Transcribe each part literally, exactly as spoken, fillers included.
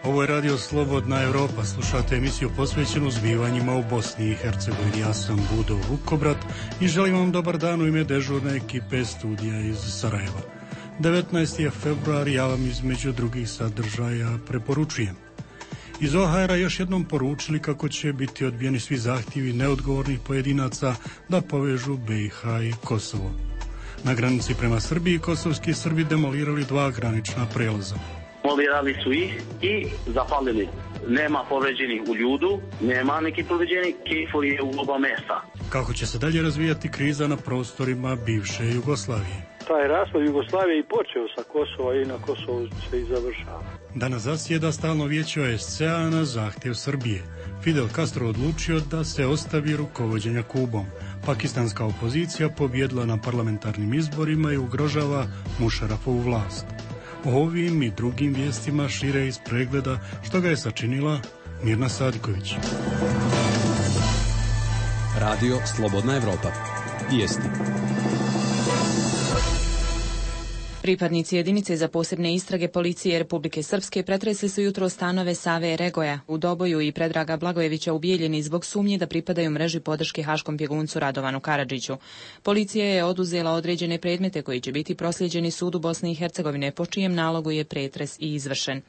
Ovo je Radio Slobodna Evropa. Slušate emisiju posvećenu zbivanjima u Bosni i Hercegovini. Ja sam Budo Vukobrat i želim vam dobar dan u ime dežurne ekipe studija iz Sarajeva. devetnaesti je februar, ja vam između drugih sadržaja preporučujem. Iz O H R-a još jednom poručili kako će biti odbijeni svi zahtjevi neodgovornih pojedinaca da povežu B i H i Kosovo. Na granici prema Srbiji kosovski Srbi demolirali dva granična prelaza. Demolirali su ih i zapalili. Nema povređenih u ljudu, nema neki povređenih, Kejfor je u oba mesta. Kako će se dalje razvijati kriza na prostorima bivše Jugoslavije? Taj raspad Jugoslavije i počeo sa Kosova i na Kosovu se i završava. Danas zasjeda stalno vijeće O S C A na zahtjev Srbije. Fidel Castro odlučio da se ostavi rukovođenja Kubom. Pakistanska opozicija pobjedila na parlamentarnim izborima i ugrožava Mušarafovu vlast. O ovim i drugim vijestima šire iz pregleda što ga je sačinila Mirna Sadiković. Radio Slobodna Evropa. Vijesti. Pripadnici jedinice za posebne istrage policije Republike Srpske pretresli su jutro stanove Save Regoja u Doboju i Predraga Blagojevića u Bijeljini zbog sumnje da pripadaju mreži podrške haškom bjeguncu Radovanu Karadžiću. Policija je oduzela određene predmete koji će biti proslijeđeni sudu Bosne i Hercegovine, po čijem nalogu je pretres i izvršen.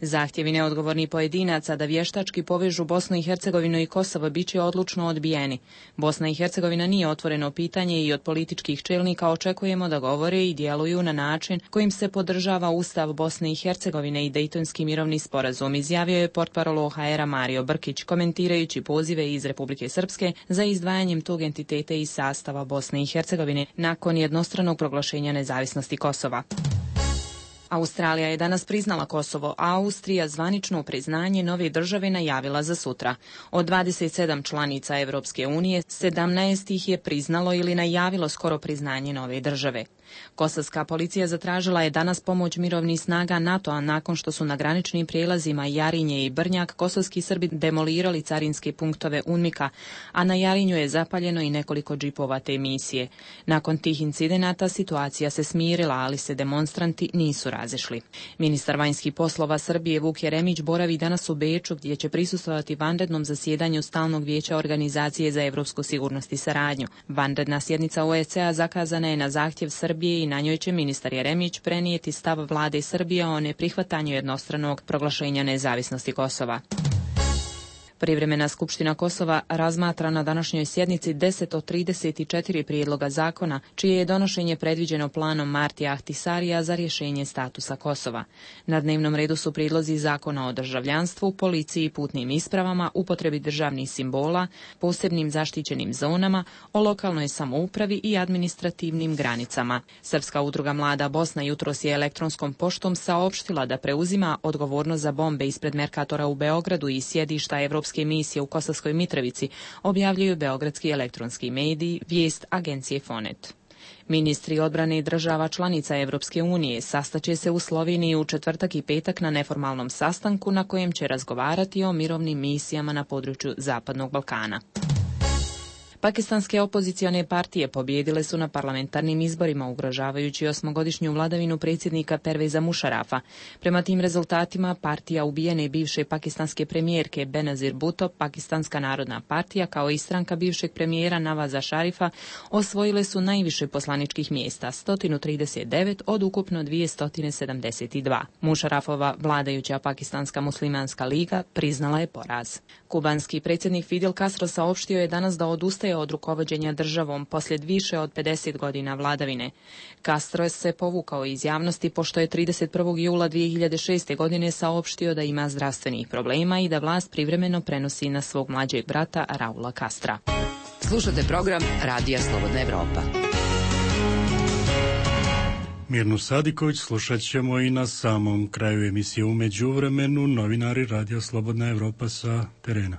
Zahtjevi neodgovornih pojedinaca da vještački povežu Bosnu i Hercegovinu i Kosovo bit će odlučno odbijeni. Bosna i Hercegovina nije otvoreno pitanje i od političkih čelnika očekujemo da govore i djeluju na način kojim se podržava Ustav Bosne i Hercegovine i Dejtonski mirovni sporazum, izjavio je portparol O H R-a Mario Brkić, komentirajući pozive iz Republike Srpske za izdvajanjem tog entiteta iz sastava Bosne i Hercegovine nakon jednostranog proglašenja nezavisnosti Kosova. Australija je danas priznala Kosovo, a Austrija zvanično priznanje nove države najavila za sutra. Od dvadeset sedam članica Evropske unije, sedamnaest ih je priznalo ili najavilo skoro priznanje nove države. Kosovska policija zatražila je danas pomoć mirovnih snaga NATO-a nakon što su na graničnim prijelazima Jarinje i Brnjak kosovski Srbi demolirali carinske punktove UNMIK-a, a na Jarinju je zapaljeno i nekoliko džipova te misije. Nakon tih incidenata situacija se smirila, ali se demonstranti nisu razišli. Ministar vanjskih poslova Srbije Vuk Jeremić boravi danas u Beču, gdje će prisustvovati vanrednom zasjedanju Stalnog vijeća Organizacije za evropsku sigurnost i saradnju. Vanredna sjednica O S C A zakazana je na zahtjev Srbije i na njoj će ministar Jeremić prenijeti stav vlade Srbije o neprihvatanju jednostranog proglašenja nezavisnosti Kosova. Privremena skupština Kosova razmatra na današnjoj sjednici deset od trideset četiri prijedloga zakona, čije je donošenje predviđeno planom Martija Ahtisarija za rješenje statusa Kosova. Na dnevnom redu su prijedlozi zakona o državljanstvu, policiji i putnim ispravama, upotrebi državnih simbola, posebnim zaštićenim zonama, o lokalnoj samoupravi i administrativnim granicama. Srpska udruga Mlada Bosna jutros je elektronskom poštom saopštila da preuzima odgovornost za bombe ispred Merkatora u Beogradu i sjedišta Evropske misije u Kosovskoj Mitrovici, objavljuju beogradski elektronski mediji, vijest agencije Fonet. Ministri odbrane država članica Evropske unije sastaće se u Sloveniji u četvrtak i petak na neformalnom sastanku na kojem će razgovarati o mirovnim misijama na području Zapadnog Balkana. Pakistanske opozicione partije pobijedile su na parlamentarnim izborima, ugrožavajući osmogodišnju vladavinu predsjednika Perveza Mušarafa. Prema tim rezultatima, partija ubijene bivše pakistanske premijerke Benazir Bhutto, Pakistanska narodna partija, kao i stranka bivšeg premijera Navaza Šarifa, osvojile su najviše poslaničkih mjesta, sto trideset devet od ukupno dvjesto sedamdeset dva. Mušarafova vladajuća Pakistanska muslimanska liga priznala je poraz. Kubanski predsjednik Fidel Castro saopštio je danas da odustaje od rukovođenja državom poslije više od pedeset godina vladavine. Castro se povukao iz javnosti pošto je trideset prvog jula dvije hiljade šeste. godine saopštio da ima zdravstvenih problema i da vlast privremeno prenosi na svog mlađeg brata Raula Castra. Slušate program Radija Slobodna Evropa. Mirnu Sadiković slušat ćemo i na samom kraju emisije. U međuvremenu novinari Radija Slobodna Evropa sa terena.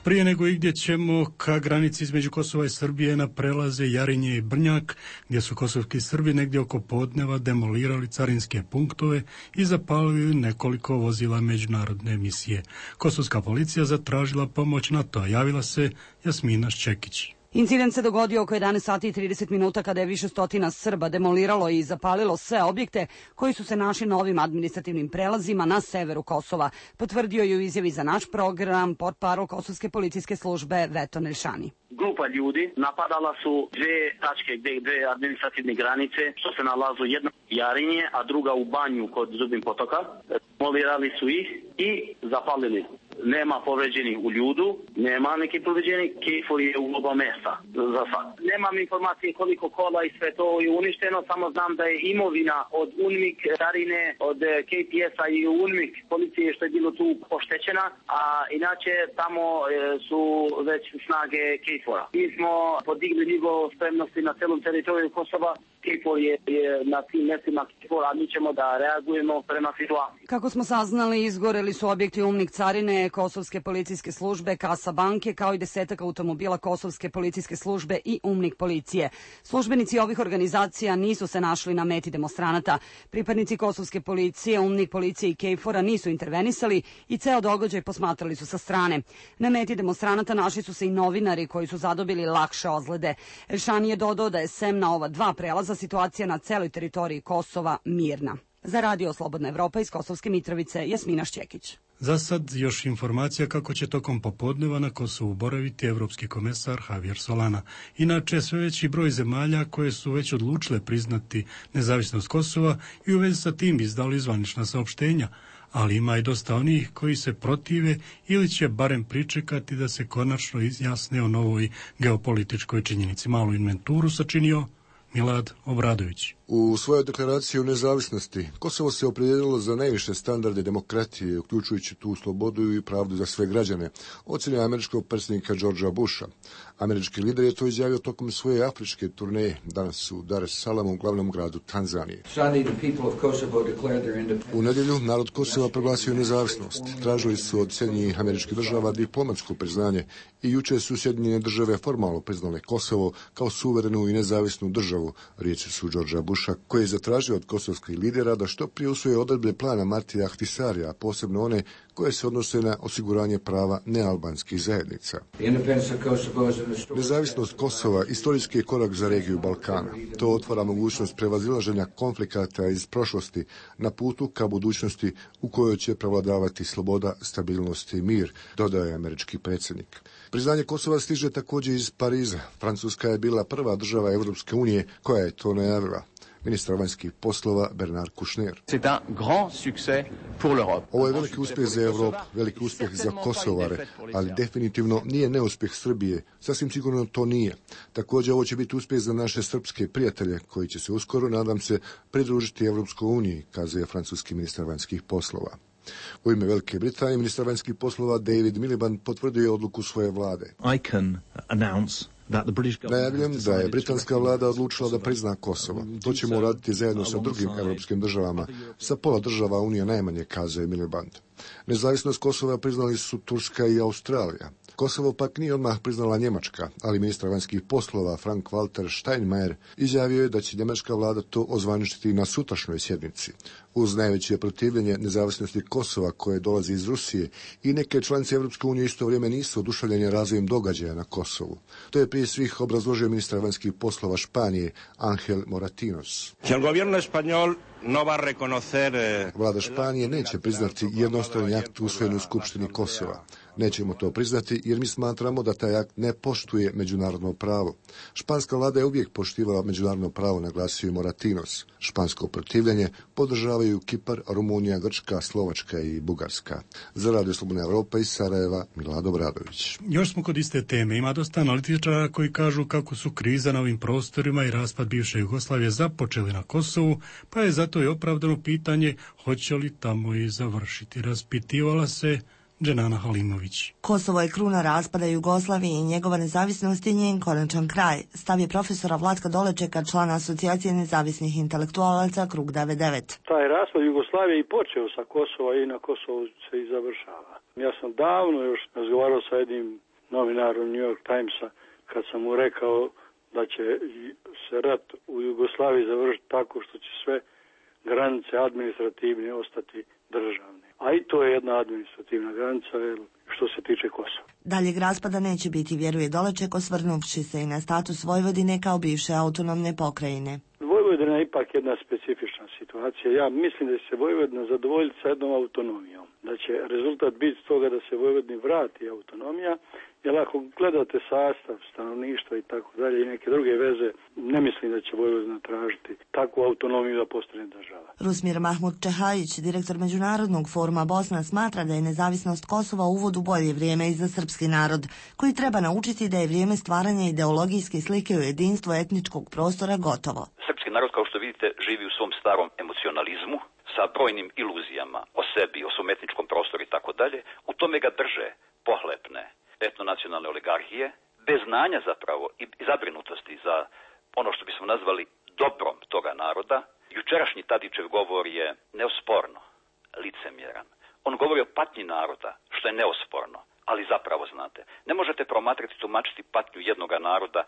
Prije nego igdje ćemo ka granici između Kosova i Srbije na prelaze Jarinje i Brnjak, gdje su kosovski Srbi negdje oko podneva demolirali carinske punktove i zapalili nekoliko vozila međunarodne misije. Kosovska policija zatražila pomoć NATO-a, javila se Jasmina Ščekić. Incident se dogodio oko jedanaest sati i trideset minuta kada je više stotina Srba demoliralo i zapalilo sve objekte koji su se našli na ovim administrativnim prelazima na severu Kosova, potvrdio je u izjavi za naš program portparol Kosovske policijske službe Veton Elšani. Grupa ljudi napadala su dve tačke, dve, dve administrativne granice, što se nalazu jedna u Jarinje, a druga u Banju kod Zubin potoka. Demolirali su ih i zapalili. Nema povređenih u ljudu, nema neki povređenih, Kejfor je u oba mesta za sad. Nemam informacije koliko kola i sve to je uništeno, samo znam da je imovina od UNMIK, Jarine, od K P S-a i UNMIK policije što je bilo tu poštećena, a inače tamo su već snage Kejfora. Mi smo podigli nivo spremnosti na celom teritoriju Kosova, Kejfor je, je na tim mestima Kejfora, a mi ćemo da reagujemo prema situaciji. Kako smo saznali, izgoreli su objekti UNMIK carine, Kosovske policijske službe, Kasa banke, kao i desetak automobila Kosovske policijske službe i UNMIK policije. Službenici ovih organizacija nisu se našli na meti demonstranata. Pripadnici Kosovske policije, UNMIK policije i Kejfora nisu intervenisali i ceo događaj posmatrali su sa strane. Na meti demonstranata našli su se i novinari koji su zadobili lakše ozlede. Elšani je dodao da je sem na ova dva prelaza situacija na celoj teritoriji Kosova mirna. Za Radio Slobodna Evropa iz Kosovske Mitrovice, Jasmina Šćekić. Za sad još informacija kako će tokom popodneva na Kosovu boraviti evropski komesar Javier Solana. Inače, sve veći broj zemalja koje su već odlučile priznati nezavisnost Kosova i u vezi sa tim izdali zvanična saopštenja, ali ima i dosta onih koji se protive ili će barem pričekati da se konačno izjasne o novoj geopolitičkoj činjenici. Malu inventuru sačinio Milad Obradović. U svojoj deklaraciji o nezavisnosti Kosovo se opredijelilo za najviše standarde demokratije, uključujući tu slobodu i pravdu za sve građane, ocjenio američkog predsjednika Georgea Busha. Američki lider je to izjavio tokom svoje afričke turneje danas u Dar es Salamu, glavnom gradu Tanzanije. U nedjelju narod Kosova proglasio nezavisnost. Tražili su od Sjedinjenih Američkih Država diplomatsko priznanje i juče su Sjedinjene Države formalno priznale Kosovo kao suverenu i nezavisnu državu, riječi su Georgea Busha, koji je zatražio od kosovskih lidera da što prije usvoje odredbe plana Martija Ahtisarija, a posebno one koje se odnose na osiguranje prava nealbanskih zajednica. Nezavisnost Kosova istorijski je korak za regiju Balkana. To otvara mogućnost prevazilaženja konflikata iz prošlosti na putu ka budućnosti u kojoj će prevladavati sloboda, stabilnost i mir, dodaje američki predsjednik. Priznanje Kosova stiže također iz Pariza. Francuska je bila prva država Evropske unije koja je to najavila. Ministar vanjskih poslova Bernard Kouchner. Ovo je veliki uspjeh za Europu, veliki uspjeh za Kosovare, ali definitivno nije neuspjeh Srbije. Sasvim sigurno to nije. Također ovo će biti uspjeh za naše srpske prijatelje koji će se uskoro, nadam se, pridružiti Evropskoj uniji, kazuje francuski ministar vanjskih poslova. U ime Velike Britanije ministar vanjskih poslova David Miliband potvrdio je odluku svoje vlade. I can announce Najavljujem da je britanska vlada odlučila da prizna Kosovo. To ćemo uraditi zajedno sa drugim evropskim državama, sa pola država Unije najmanje, kazuje Miliband. Nezavisnost Kosova priznali su Turska i Australija. Kosovo pak nije odmah priznala Njemačka, ali ministar vanjskih poslova Frank-Walter Steinmeier izjavio je da će njemačka vlada to ozvaničiti na sutrašnjoj sjednici. Uz najveće protivljenje nezavisnosti Kosova koje dolazi iz Rusije i neke članice Evropske unije isto vrijeme nisu oduševljene razvojem događaja na Kosovu. To je prije svih obrazložio ministar vanjskih poslova Španije Ángel Moratinos. Vlada Španije neće priznati jednostrani akt usvojen u Skupštini Kosova. Nećemo to priznati jer mi smatramo da taj akt ne poštuje međunarodno pravo. Španska vlada je uvijek poštivala međunarodno pravo, naglasio je Moratinos. Špansko protivljenje podržavaju Kipar, Rumunija, Grčka, Slovačka i Bugarska. Za Radio Slobodna Evropa iz Sarajeva, Milad Obradović. Još smo kod iste teme. Ima dosta analitičara koji kažu kako su kriza na ovim prostorima i raspad bivše Jugoslavije započeli na Kosovu, pa je zato i opravdano pitanje hoće li tamo i završiti. Raspitivala se Dženana Halimović. Kosovo je kruna raspada Jugoslavije i njegova nezavisnost je njen konačan kraj. Stav je profesora Vlatka Dolečeka, člana Asocijacije nezavisnih intelektualaca Krug devedeset devet. Taj raspad Jugoslavije i počeo sa Kosova i na Kosovu se i završava. Ja sam davno još razgovarao sa jednim novinarom New York Timesa kad sam mu rekao da će se rat u Jugoslaviji završiti tako što će sve granice administrativne ostati državne. A i to je jedna administrativna granica, jer što se tiče Kosova. Daljeg raspada neće biti, vjeruje Doleček, osvrnuvši se i na status Vojvodine kao bivše autonomne pokrajine. Vojvodina je ipak jedna specifična situacija. Ja mislim da će se Vojvodina zadovoljiti sa jednom autonomijom. Da će rezultat biti toga da se Vojvodini vrati autonomija, jer ako gledate sastav stanovništva i tako dalje i neke druge veze, ne mislim da će Vojvodina tražiti takvu autonomiju da postane država. Rusmir Mahmud Čehajić, direktor Međunarodnog foruma Bosna, smatra da je nezavisnost Kosova uvod u bolje vrijeme i za srpski narod, koji treba naučiti da je vrijeme stvaranja ideologijske slike u jedinstvu etničkog prostora gotovo. Srpski narod, kao što vidite, živi u svom starom emocionalizmu, sa brojnim iluzijama o sebi, o svom etničkom prostoru i tako dalje. U tome ga drže pohlepne etnonacionalne oligarhije, bez znanja zapravo i zabrinutosti za ono što bismo nazvali dobrom toga naroda. Jučerašnji Tadićev govor je neosporno licemjeran. On govori o patnji naroda, što je neosporno, ali zapravo, znate, ne možete promatrati, tumačiti patnju jednoga naroda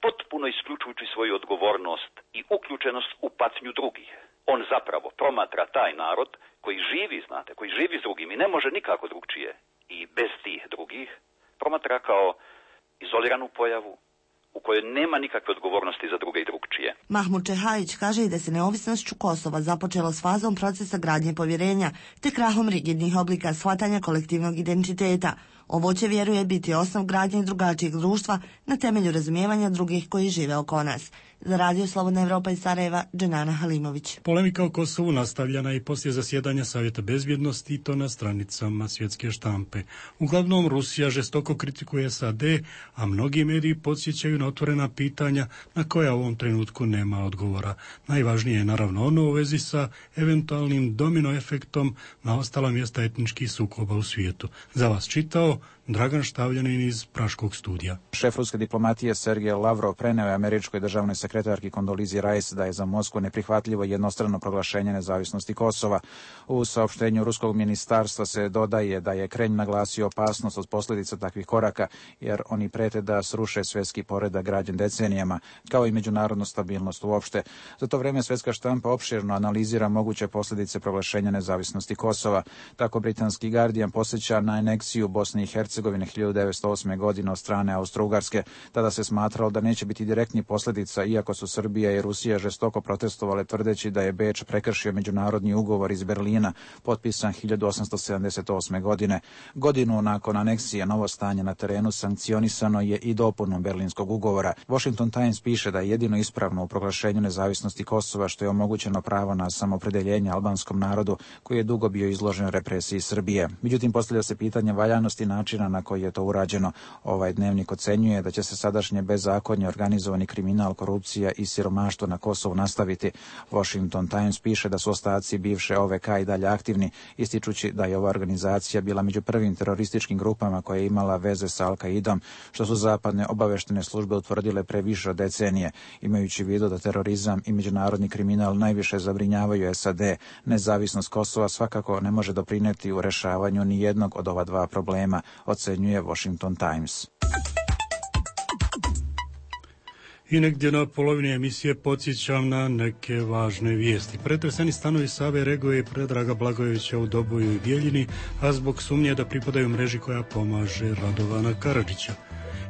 potpuno isključujući svoju odgovornost i uključenost u patnju drugih. On zapravo promatra taj narod koji živi, znate, koji živi s drugim i ne može nikako drugčije i bez tih drugih, promatra kao izoliranu pojavu u kojoj nema nikakve odgovornosti za druge i drugčije. Mahmud Čehajić kaže i da se neovisnošću Kosova započelo s fazom procesa gradnje povjerenja te krahom rigidnih oblika shvatanja kolektivnog identiteta. Ovo će, vjeruje, biti osnov gradnje drugačijeg društva na temelju razumijevanja drugih koji žive oko nas. Za Radio Slobodna Evropa iz Sarajeva, Dženana Halimović. Polemika o Kosovu nastavljana i poslije zasjedanja Savjeta bezbjednosti i to na stranicama svjetske štampe. Uglavnom, Rusija žestoko kritikuje S A D, a mnogi mediji podsjećaju na otvorena pitanja na koja u ovom trenutku nema odgovora. Najvažnije je naravno ono u vezi sa eventualnim domino efektom na ostala mjesta etničkih sukoba u svijetu. Za vas čitao Dragan Štavljanin iz Praškog studija. Šef ruske diplomatije Sergej Lavrov preneo je američkoj državnoj sekretarki Kondolizi Rice da je za Moskvu neprihvatljivo jednostrano proglašenje nezavisnosti Kosova. U saopštenju ruskog ministarstva se dodaje da je Kremlj naglasio opasnost od posljedica takvih koraka, jer oni prete da sruše svjetski poredak građen decenijama, kao i međunarodnu stabilnost uopšte. Za to vrijeme svjetska štampa opširno analizira moguće posljedice proglašenja nezavisnosti Kosova. Tako britanski Guardian posjeća na aneksiju Bosne i Hercegovine hiljadu devetsto osme. godine od strane Austro-Ugarske. Tada se smatralo da neće biti direktnih posljedica, iako su Srbija i Rusija žestoko protestovale tvrdeći da je Beč prekršio međunarodni ugovor iz Berlina, potpisan hiljadu osamsto sedamdeset osme. godine. Godinu nakon aneksije novo stanje na terenu sankcionisano je i dopunom Berlinskog ugovora. Washington Times piše da je jedino ispravno u proglašenju nezavisnosti Kosova što je omogućeno pravo na samoopredjeljenje albanskom narodu koji je dugo bio izložen represiji Srbije. Međutim, postavlja se pitanje valjanosti načina na koji je to urađeno. Ovaj dnevnik ocenjuje da će se sadašnje bezakonje, organizovani kriminal, korupcija i siromaštvo na Kosovu nastaviti. Washington Times piše da su ostaci bivše O V K i dalje aktivni, ističući da je ova organizacija bila među prvim terorističkim grupama koja je imala veze sa Al-Qaidom, što su zapadne obaveštene službe utvrdile pre više od decenije. Imajući u vidu da terorizam i međunarodni kriminal najviše zabrinjavaju S A D, nezavisnost Kosova svakako ne može doprinijeti u rešavanju ni jednog od ova dva problema, ocenjuje Washington Times. I negdje na polovini emisije podsjećam na neke važne vijesti. Pretreseni stanovi Save Regoje i Predraga Blagojevića u Doboju i Bijeljini, a zbog sumnje da pripadaju mreži koja pomaže Radovana Karadžića.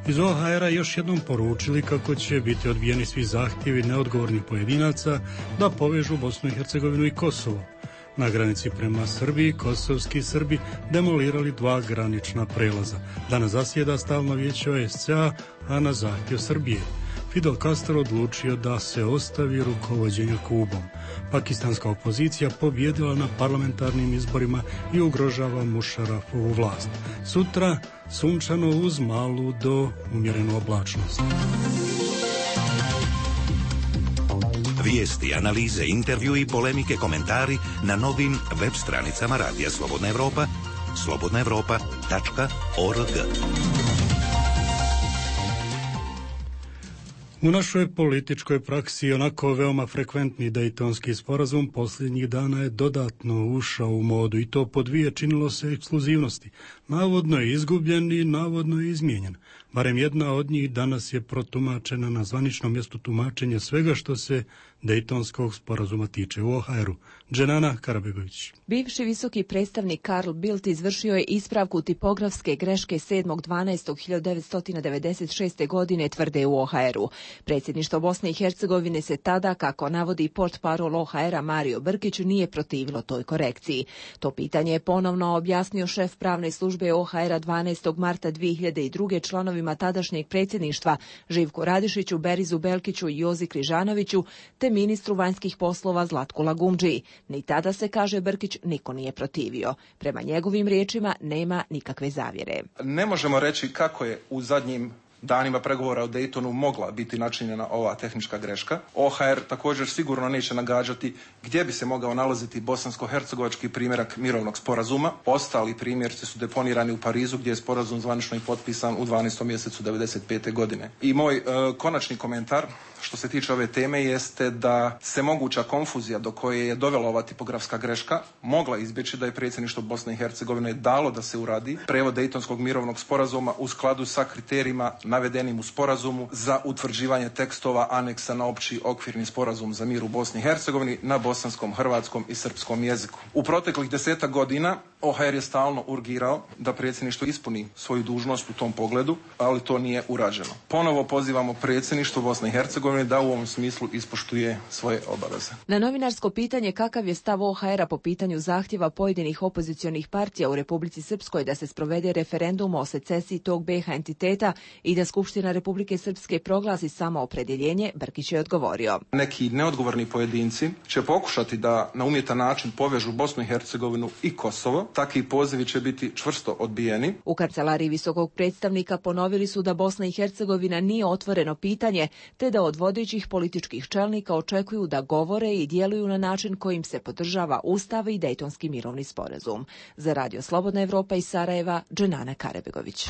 Iz O H R-a još jednom poručili kako će biti odbijeni svi zahtjevi neodgovornih pojedinaca da povežu Bosnu i Hercegovinu i Kosovo. Na granici prema Srbiji, kosovski Srbi demolirali dva granična prelaza. Danas zasjeda stalno vijeće O S C A, a na zahtjev Srbije Fidel Castro odlučio da se ostavi rukovođenja Kubom. Pakistanska opozicija pobjedila na parlamentarnim izborima i ugrožava Mušarafovu vlast. Sutra sunčano uz malu do umjerenu oblačnost. Vijesti, analize, intervju i polemike, komentari na novim web stranicama Radija Slobodna Evropa, slobodna evropa tačka org. U našoj političkoj praksi onako veoma frekventni Dejtonski sporazum posljednjih dana je dodatno ušao u modu i to po dvije činilo se ekskluzivnosti. Navodno je izgubljen i navodno je izmijenjen. Barem jedna od njih danas je protumačena na zvaničnom mjestu tumačenja svega što se Dejtonskog sporazuma tiče u O H R-u. Dženana Karabegović. Bivši visoki predstavnik Karl Bildt izvršio je ispravku tipografske greške sedmog dvanaestog hiljadu devetsto devedeset šeste. godine, tvrde u O H R-u. Predsjedništvo Bosne i Hercegovine se tada, kako navodi portparol O H R-a Mario Brkić, nije protivilo toj korekciji. To pitanje je ponovno objasnio šef pravne službe O H R-a dvanaestog marta dvije hiljade druge. članovima tadašnjeg predsjedništva Živku Radišiću, Berizu Belkiću i Jozi Križanoviću, te ministru vanjskih poslova Zlatku Lagumdžiji. Ni tada se, kaže Brkić, niko nije protivio. Prema njegovim riječima nema nikakve zavjere. Ne možemo reći kako je u zadnjim danima pregovora o Daytonu mogla biti načinjena ova tehnička greška. O H R također sigurno neće nagađati gdje bi se mogao nalaziti bosansko-hercegovački primjerak mirovnog sporazuma. Ostali primjerci su deponirani u Parizu, gdje je sporazum zvanično i potpisan u dvanaestom mjesecu devedeset pete. godine. I moj e, konačni komentar što se tiče ove teme jeste da se moguća konfuzija do koje je dovela ova tipografska greška mogla izbjeći da je predsjedništvo Bosne i Hercegovine dalo da se uradi prevod Dejtonskog mirovnog sporazuma u skladu sa kriterijima navedenim u sporazumu za utvrđivanje tekstova aneksa na opći okvirni sporazum za mir u Bosni i Hercegovini na bosanskom, hrvatskom i srpskom jeziku. U proteklih desetak godina O H R je stalno urgirao da predsjedništvo ispuni svoju dužnost u tom pogledu, ali to nije urađeno. Ponovo pozivamo predsjedništvo Bosne i Hercegovine da u ovom smislu ispoštuje svoje obaveze. Na novinarsko pitanje kakav je stav O H R-a po pitanju zahtjeva pojedinih opozicionih partija u Republici Srpskoj da se sprovede referendum o secesiji tog B iH entiteta i da Skupština Republike Srpske proglasi samoopredjeljenje, Brkić je odgovorio. Neki neodgovorni pojedinci će pokušati da na umjetan način povežu Bosnu i Hercegovinu i Kosovo. Takvi pozivi će biti čvrsto odbijeni. U kancelariji visokog predstavnika ponovili su da Bosna i Hercegovina nije otvoreno pitanje, te da od vodećih političkih čelnika očekuju da govore i djeluju na način kojim se podržava Ustav i Dejtonski mirovni sporazum. Za Radio Slobodna Evropa iz Sarajeva, Dženana Karabegović.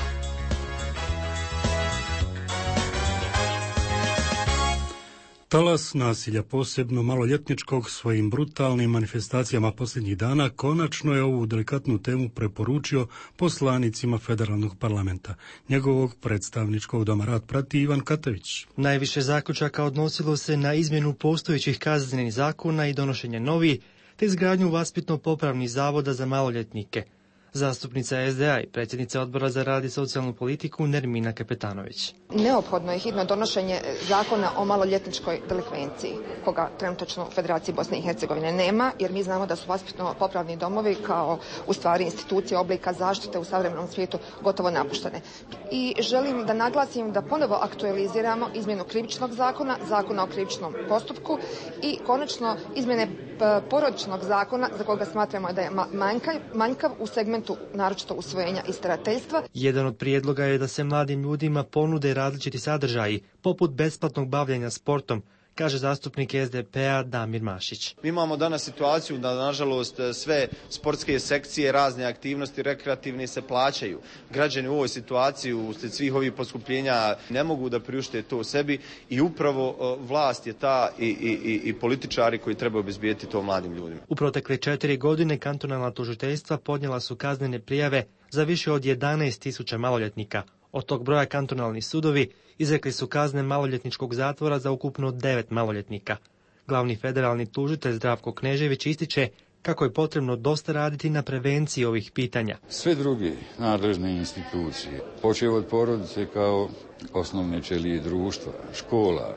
Talas nasilja, posebno maloljetničkog, svojim brutalnim manifestacijama posljednjih dana konačno je ovu delikatnu temu preporučio poslanicima federalnog parlamenta. Njegovog predstavničkog doma rad prati Ivan Katavić. Najviše zaključaka odnosilo se na izmjenu postojećih kaznenih zakona i donošenje novih, te izgradnju vaspitno-popravnih zavoda za maloljetnike. Zastupnica S D A i predsjednica Odbora za rad i socijalnu politiku Nermina Kapetanović. Neophodno je hitno donošenje zakona o maloljetničkoj delikvenciji, koga trenutačno u Federaciji Bosne i Hercegovine nema, jer mi znamo da su vaspitno-popravni domovi kao u stvari institucije oblika zaštite u savremenom svijetu gotovo napuštene. I želim da naglasim da ponovo aktualiziramo izmjenu krivičnog zakona, zakona o krivičnom postupku i konačno izmjene porodičnog zakona za koga smatramo da je manjkav, manjkav u segmentu naročito usvojenja i starateljstva. Jedan od prijedloga je da se mladim ljudima ponude različiti sadržaji, poput besplatnog bavljenja sportom, kaže zastupnik S D P-a Damir Mašić. Mi imamo danas situaciju da, nažalost, sve sportske sekcije, razne aktivnosti rekreativne se plaćaju. Građani u ovoj situaciji, uslijed svih ovih poskupljenja, ne mogu da priušte to sebi i upravo vlast je ta i, i, i političari koji trebaju obezbijeti to mladim ljudima. U protekle četiri godine kantonalna tužiteljstva podnijela su kaznene prijave za više od jedanaest tisuća maloljetnika. Od tog broja kantonalni sudovi izrekli su kazne maloljetničkog zatvora za ukupno devet maloljetnika. Glavni federalni tužitelj Zdravko Knežević ističe kako je potrebno dosta raditi na prevenciji ovih pitanja. Sve druge nadležne institucije, počev od porodice kao osnovne ćelije društva, škola,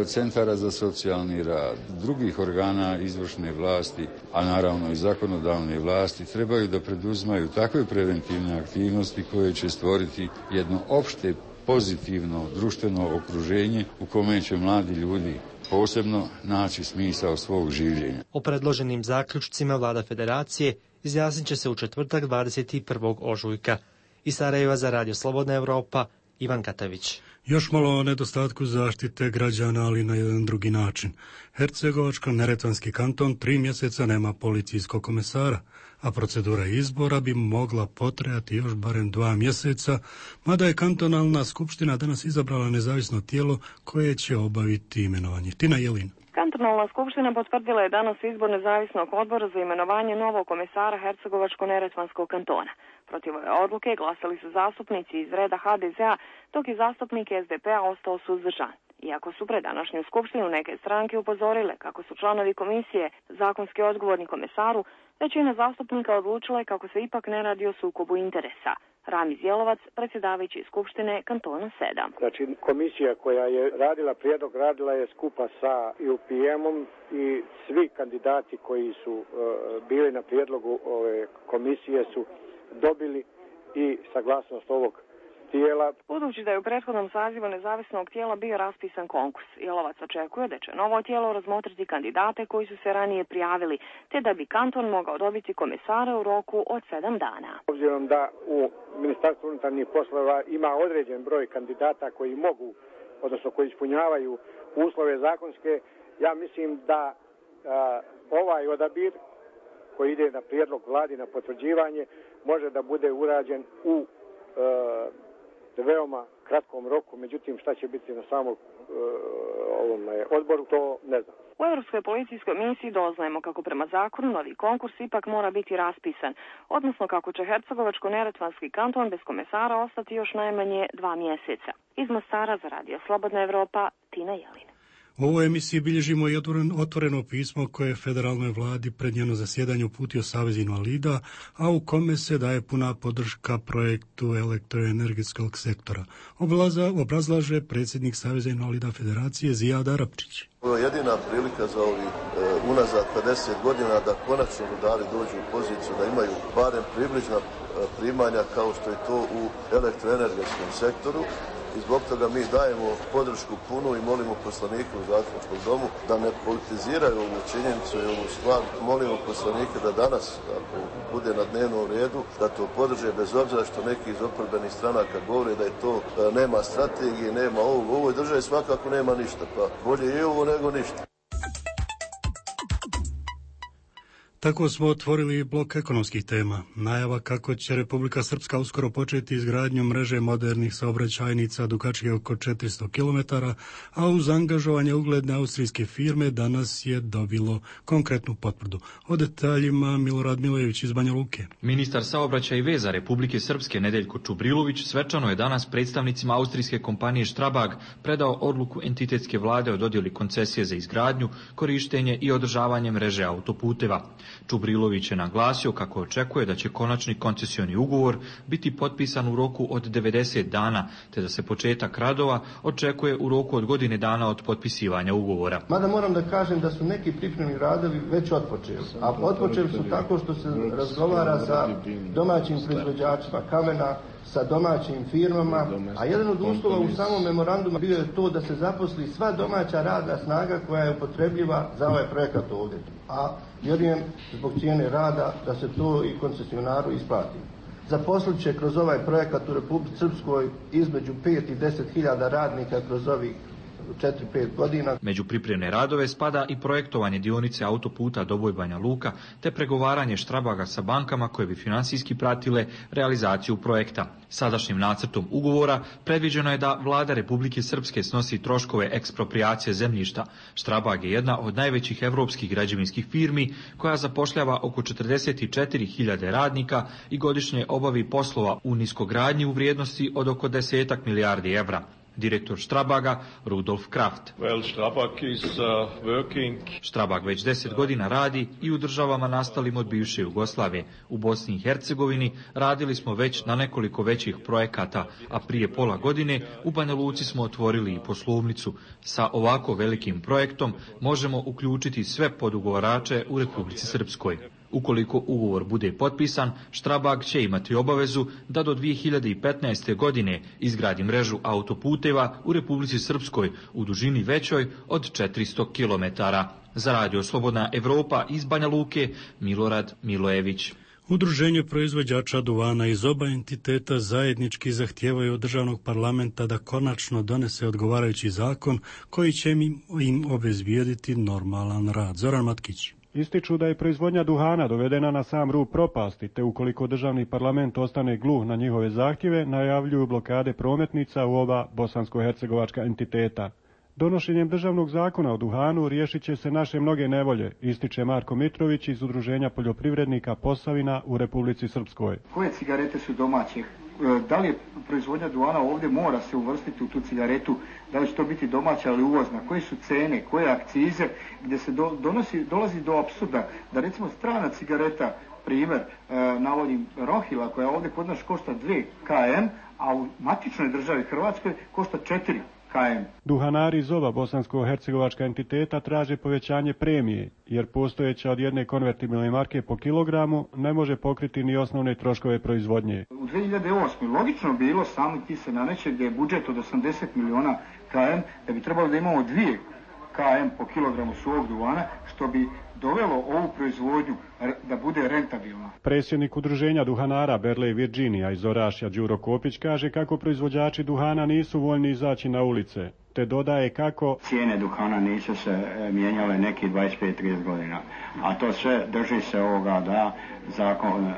centara za socijalni rad, drugih organa izvršne vlasti, a naravno i zakonodavne vlasti, trebaju da preduzmaju takve preventivne aktivnosti koje će stvoriti jedno opšte pozitivno društveno okruženje u kome će mladi ljudi posebno naći smisao svog življenja. O predloženim zaključcima vlada federacije izjasnit će se u četvrtak dvadeset prvog ožujka. Iz Sarajeva za Radio Slobodna Evropa, Ivan Katavić. Još malo o nedostatku zaštite građana, ali na jedan drugi način. Hercegovačko-neretvanski kanton tri mjeseca nema policijskog komesara, a procedura izbora bi mogla potrajati još barem dva mjeseca, mada je kantonalna skupština danas izabrala nezavisno tijelo koje će obaviti imenovanje. Tina Jelin. Kantonalna skupština potvrdila je danas izbor nezavisnog odbora za imenovanje novog komesara Hercegovačko-Neretvanskog kantona. Protiv ove odluke glasali su zastupnici iz reda ha de ze a, dok je zastupnik es de pe a ostao suzdržan. Iako su pred današnju skupštinu neke stranke upozorile kako su članovi komisije zakonski odgovorni komesaru, većina zastupnika odlučila je kako se ipak ne radi o sukobu interesa. Ramiz Jelovac, predsjedavajući skupštine kantona sedam. Znači, komisija koja je radila prijedlog, radila je skupa sa ju pi em-om i svi kandidati koji su uh, bili na prijedlogu ove komisije su dobili i saglasnost ovog tijela. Budući da je u prethodnom sazivu nezavisnog tijela bio raspisan konkurs, Jelovac očekuje da će novo tijelo razmotriti kandidate koji su se ranije prijavili, te da bi kanton mogao dobiti komesara u roku od sedam dana. Obzirom da u Ministarstvu unutarnjih poslova ima određen broj kandidata koji mogu, odnosno koji ispunjavaju uslove zakonske, ja mislim da a, ovaj odabir koji ide na prijedlog vladi na potvrđivanje može da bude urađen u a, veoma kratkom roku, međutim šta će biti na samom uh, ovom odboru, to ne znam. U Europskoj policijskoj misiji doznajemo kako prema zakonu novi konkurs ipak mora biti raspisan, odnosno kako će Hercegovačko-Neretvanski kanton bez komesara ostati još najmanje dva mjeseca. Iz Mostara za Radio Slobodna Evropa, Tina Jelin. U ovoj emisiji bilježimo i otvoreno pismo koje je federalnoj vladi pred njeno zasjedanje uputio Savez invalida, a u kome se daje puna podrška projektu elektroenergetskog sektora. Oblaza, obrazlaže predsjednik Saveza invalida Federacije Zijad Arapčić. Ovo je jedina prilika za ovih e, unazad pedeset godina da konačno rudari dođu u poziciju da imaju barem približna e, primanja kao što je to u elektroenergetskom sektoru. I zbog toga mi dajemo podršku punu i molimo poslanike u Zastupničkom domu da ne politiziraju ovu činjenicu i ovu stvar. Molimo poslanike da danas, ako bude na dnevnom redu, da to podrže bez obzira što neki iz oporbenih stranaka govore da je to nema strategije, nema ovog. U ovoj državi svakako nema ništa, pa bolje i ovo nego ništa. Tako smo otvorili blok ekonomskih tema. Najava kako će Republika Srpska uskoro početi izgradnju mreže modernih saobraćajnica dugačke oko četiristo kilometara, a uz angažovanje ugledne austrijske firme danas je dobilo konkretnu potvrdu. O detaljima Milorad Milojević iz Banja Luke. Ministar saobraćaja i veza Republike Srpske Nedeljko Čubrilović svečano je danas predstavnicima austrijske kompanije Strabag predao odluku entitetske vlade o dodjeli koncesije za izgradnju, korištenje i održavanje mreže autoputeva. Čubrilović je naglasio kako očekuje da će konačni koncesioni ugovor biti potpisan u roku od devedeset dana, te da se početak radova očekuje u roku od godine dana od potpisivanja ugovora. Mada moram da kažem da su neki pripremni radovi već otpočeli, a otpočeli su tako što se razgovara sa domaćim proizvođačima kamena, sa domaćim firmama, a jedan od uslova u samom memorandumu bio je to da se zaposli sva domaća radna snaga koja je upotrebljiva za ovaj projekat ovdje. A vjerujem zbog cijene rada da se to i koncesionaru isplati. Zaposlit će kroz ovaj projekat u Republici Srpskoj između pet i deset hiljada radnika kroz ovih četiri pet godina. Među pripremne radove spada i projektovanje dionice autoputa Doboj Banja Luka, te pregovaranje Strabaga sa bankama koje bi finansijski pratile realizaciju projekta. Sadašnjim nacrtom ugovora predviđeno je da vlada Republike Srpske snosi troškove eksproprijacije zemljišta. Strabag je jedna od najvećih evropskih građevinskih firmi koja zapošljava oko četrdeset četiri hiljade radnika i godišnje obavi poslova u niskogradnji u vrijednosti od oko desetak milijardi evra. Direktor Strabaga, Rudolf Kraft. Well, Strabag is, uh, working... Strabag već deset godina radi i u državama nastalim od bivše Jugoslavije. U Bosni i Hercegovini radili smo već na nekoliko većih projekata, a prije pola godine u Banja Luci smo otvorili i poslovnicu. Sa ovako velikim projektom možemo uključiti sve podugovarače u Republici Srpskoj. Ukoliko ugovor bude potpisan, Strabag će imati obavezu da do dvije hiljade petnaeste. godine izgradi mrežu autoputeva u Republici Srpskoj u dužini većoj od četiristo kilometara. Za Radio Slobodna Evropa iz Banja Luke, Milorad Milojević. Udruženje proizvođača duvana iz oba entiteta zajednički zahtijevaju od državnog parlamenta da konačno donese odgovarajući zakon koji će im, im obezbijediti normalan rad. Zoran Matkić. Ističu da je proizvodnja duhana dovedena na sam rub propasti, te ukoliko državni parlament ostane gluh na njihove zahtjeve, najavljuju blokade prometnica u oba bosansko-hercegovačka entiteta. Donošenjem državnog zakona o duhanu riješit će se naše mnoge nevolje, ističe Marko Mitrović iz Udruženja poljoprivrednika Posavina u Republici Srpskoj. Koje cigarete su domaće? Da li je proizvodnja duhana ovdje mora se uvrstiti u tu cigaretu? Da li će to biti domaća ili uvozna? Koje su cene? Koje akcize? Gdje se do, donosi, dolazi do apsurda da recimo strana cigareta, primjer, navodim Rohila koja ovdje kod nas košta dvije kilometara, a u matičnoj državi Hrvatskoj košta četiri kilometara. Duhanari iz ova bosansko-hercegovačka entiteta traže povećanje premije, jer postojeća od jedne konvertibilne marke po kilogramu ne može pokriti ni osnovne troškove proizvodnje. U dvije hiljade osme logično bilo, sami ti se naneće gdje je budžet od osamdeset miliona kilometara, da bi trebalo da imamo dvije kilometara po kilogramu suvog duvana, što bi dovelo ovu proizvodnju da bude rentabilna. Predsjednik udruženja duhanara Berlej Virginija iz Orašja Đuro Kopić kaže kako proizvođači duhana nisu voljni izaći na ulice, te dodaje kako cijene duhana nisu se mijenjale neki dvadeset pet do trideset godina, a to sve drži se ovoga da zakon e,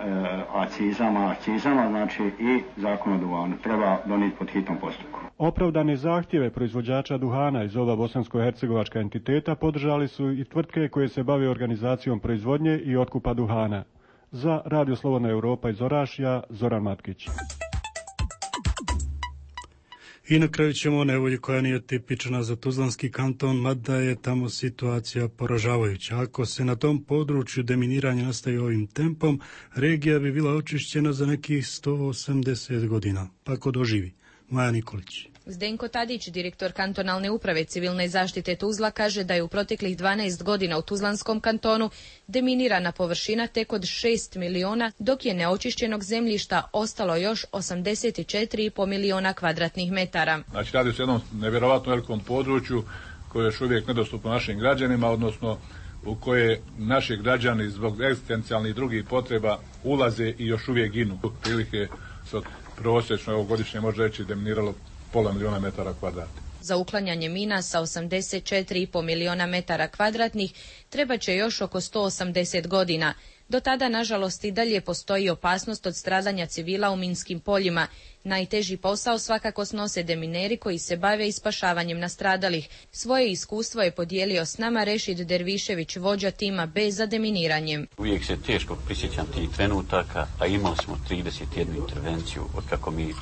akcizama, akcizama, znači i zakon o duhanu treba donijeti pod hitnom postupku. Opravdane zahtjeve proizvođača duhana iz ova bosansko-hercegovačka entiteta podržali su i tvrtke koje se bave organizacijom proizvodnje i otkupa duhana. Za Radio Slobodna Europa iz Orašja, Zoran Matkić. I na kraju ćemo o nevolji koja nije tipična za Tuzlanski kanton, mada je tamo situacija poražavajuća. Ako se na tom području deminiranje nastavi ovim tempom, regija bi bila očišćena za nekih sto osamdeset godina. Pa ko doživi? Maja Nikolić. Zdenko Tadić, direktor kantonalne uprave civilne zaštite Tuzla, kaže da je u proteklih dvanaest godina u Tuzlanskom kantonu deminirana površina tek od šest miliona, dok je neočišćenog zemljišta ostalo još osamdeset četiri i po miliona kvadratnih metara. Znači radi se o jednom nevjerovatno velikom području koje je još uvijek nedostupno našim građanima, odnosno u koje naši građani zbog egzistencijalnih i drugih potreba ulaze i još uvijek ginu. Prilike se prosječno ovogodišnje može reći deminiralo pola miliona metara kvadratnih. Za uklanjanje mina sa osamdeset četiri i po miliona metara kvadratnih treba će još oko sto osamdeset godina. Do tada, nažalost, i dalje postoji opasnost od stradanja civila u minskim poljima. Najteži posao svakako snose demineri koji se bave ispašavanjem nastradalih. Svoje iskustvo je podijelio s nama Rešid Dervišević, vođa tima B za deminiranjem. Uvijek se teško prisjećam tih trenutaka, a imali smo trideset jednu intervenciju od kako mi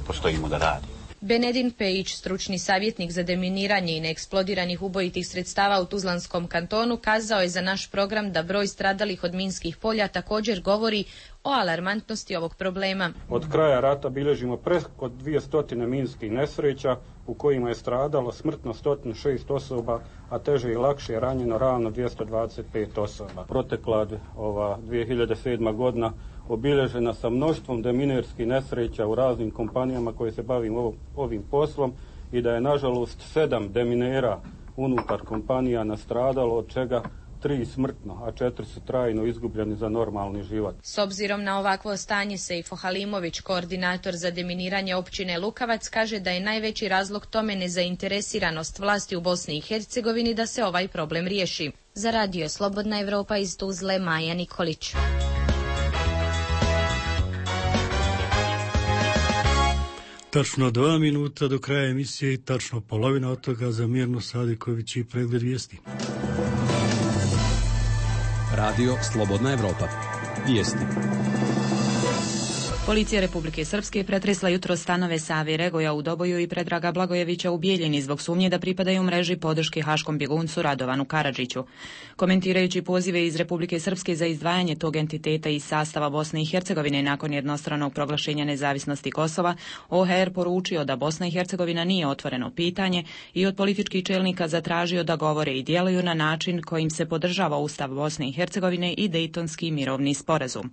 postojimo da radimo. Benedin Pejić, stručni savjetnik za deminiranje i neeksplodiranih ubojitih sredstava u Tuzlanskom kantonu, kazao je za naš program da broj stradalih od minskih polja također govori o alarmantnosti ovog problema. Od kraja rata bilježimo preko dvjesto minskih nesreća u kojima je stradalo smrtno sto šest osoba, a teže i lakše ranjeno ravno dvjesto dvadeset pet osoba. Protekla ova dvije hiljade sedma godina obilježena sa mnoštvom deminerskih nesreća u raznim kompanijama koje se bavim ovim, ovim poslom i da je nažalost sedam deminera unutar kompanija nastradalo, od čega tri smrtno, a četiri su trajno izgubljeni za normalni život. S obzirom na ovakvo stanje, Sejfo Halimović, koordinator za deminiranje općine Lukavac, kaže da je najveći razlog tome nezainteresiranost vlasti u Bosni i Hercegovini da se ovaj problem riješi. Za Radio Slobodna Evropa iz Tuzle, Maja Nikolić. Tačno dva minuta do kraja emisije i tačno polovina od toga za Mirnu Sadiković i pregled vijesti. Radio Slobodna Evropa. Vijesti. Policija Republike Srpske pretresla jutro stanove Save Regoja u Doboju i Predraga Blagojevića u Bijeljini zbog sumnje da pripadaju mreži podrške haškom bjeguncu Radovanu Karadžiću. Komentirajući pozive iz Republike Srpske za izdvajanje tog entiteta iz sastava Bosne i Hercegovine nakon jednostranog proglašenja nezavisnosti Kosova, O H R poručio da Bosna i Hercegovina nije otvoreno pitanje i od političkih čelnika zatražio da govore i djeluju na način kojim se podržava Ustav Bosne i Hercegovine i Dejtonski mirovni sporazum.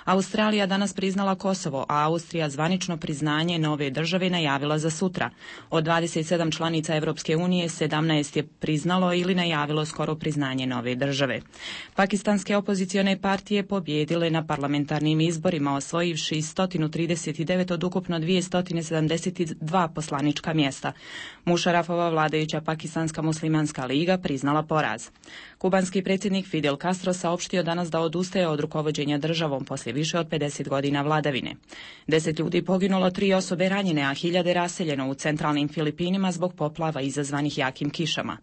Australija danas priznala Kosovo, a Austrija zvanično priznanje nove države najavila za sutra. Od dvadeset sedam članica Evropske unije, sedamnaest je priznalo ili najavilo skoro priznanje nove države. Pakistanske opozicione partije pobjedile na parlamentarnim izborima, osvojivši sto trideset devet od ukupno dvjesto sedamdeset dva poslanička mjesta. Mušarafova vladajuća Pakistanska muslimanska liga priznala poraz. Kubanski predsjednik Fidel Castro saopštio danas da odustaje od rukovođenja državom poslije više od pedeset godina vladavine. godine. Deset ljudi poginulo, tri osobe ranjene, a hiljade raseljeno u centralnim Filipinima zbog poplava izazvanih jakim kišama.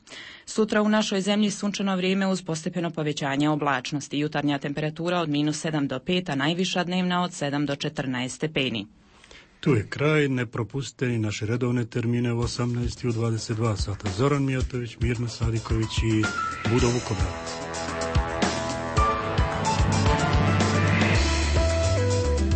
Sutra u našoj zemlji sunčano vrijeme uz postepeno povećanje oblačnosti. Jutarnja temperatura od minus sedam do pet, a najviša dnevna od sedam do četrnaest stepeni. Tu je kraj, ne propustite ni naše redovne termine u osamnaest i u dvadeset dva sata. Zoran Mijatović, Mirna Sadiković i Budo Vukobrad.